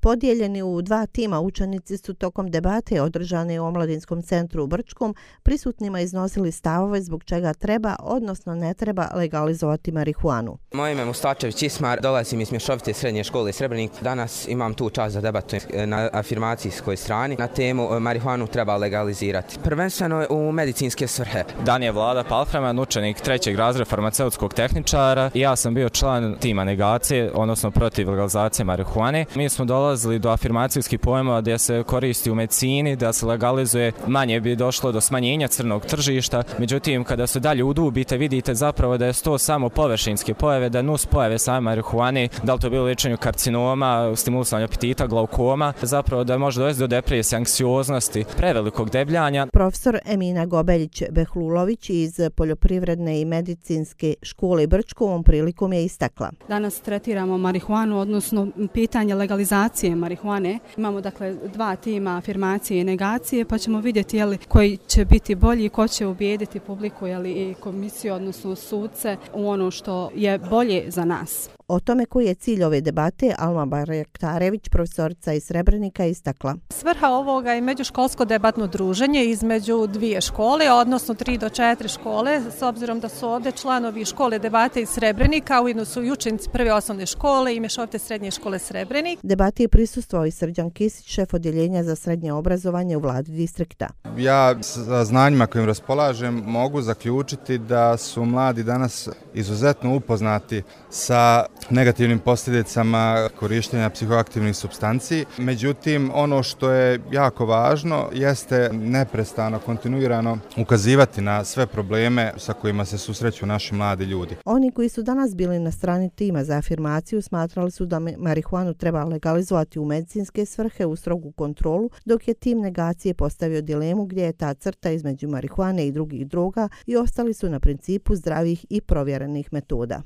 Podijeljeni u dva tima, učenici su tokom debate održane u Omladinskom centru u Brčkom prisutnima iznosili stavove zbog čega treba, odnosno ne treba legalizovati marihuanu. Moje ime je Mustačević Ismar, dolazim iz Mješovite srednje škole Srebrenik. Danas imam tu čast da debatujem na afirmacijskoj strani na temu marihuanu treba legalizirati. Prvenstveno u medicinske svrhe. Dan je Vlada Palfreman, učenik 3. razreda farmaceutskog tehničara i ja sam bio član tima negacije, odnosno protiv legalizacije marihuane. Mi smo dolazili do afirmacijskih pojmova gdje se koristi u medicini, da se legalizuje, manje bi došlo do smanjenja crnog tržišta. Međutim, kada se dalje udubite, vidite zapravo da je to samo površinske pojave, da nus pojave same marihuane, da li to bilo liječenje karcinoma, stimulisanje apetita, glaukoma, zapravo da može dovesti do depresije, anksioznosti, prevelikog debljanja. Profesor Emina Gobeljić-Behlulović iz Poljoprivredne i medicinske škole Brčko ovom prilikom je istakla. Danas tretiramo marihuanu, odnosno pitanje legalizacije marihuane. Imamo dakle dva tima afirmacije i negacije, pa ćemo vidjeti koji će biti bolji, ko će ubijediti publiku i komisiju, odnosno sudce u ono što je bolje za nas. O tome koji je cilj ove debate Alma Barjaktarević, profesorica iz Srebrenika, istakla. Svrha ovoga je međuškolsko debatno druženje između dvije škole, odnosno 3 do 4 škole, s obzirom da su ovdje članovi škole debate iz Srebrenika, ujedno su i učenici prve osnovne škole i Mješovite srednje škole Srebrenik. Debati je prisustvovao i Srđan Kisić, šef odjeljenja za srednje obrazovanje u vladi distrikta. Ja sa znanjima kojim raspolažem mogu zaključiti da su mladi danas izuzetno upoznati sa negativnim posljedicama korištenja psihoaktivnih supstanci. Međutim, ono što je jako važno jeste neprestano, kontinuirano ukazivati na sve probleme sa kojima se susreću naši mladi ljudi. Oni koji su danas bili na strani tima za afirmaciju smatrali su da marihuanu treba legalizovati u medicinske svrhe u strogu kontrolu, dok je tim negacije postavio dilemu gdje je ta crta između marihuane i drugih droga i ostali su na principu zdravih i provjerenih metoda.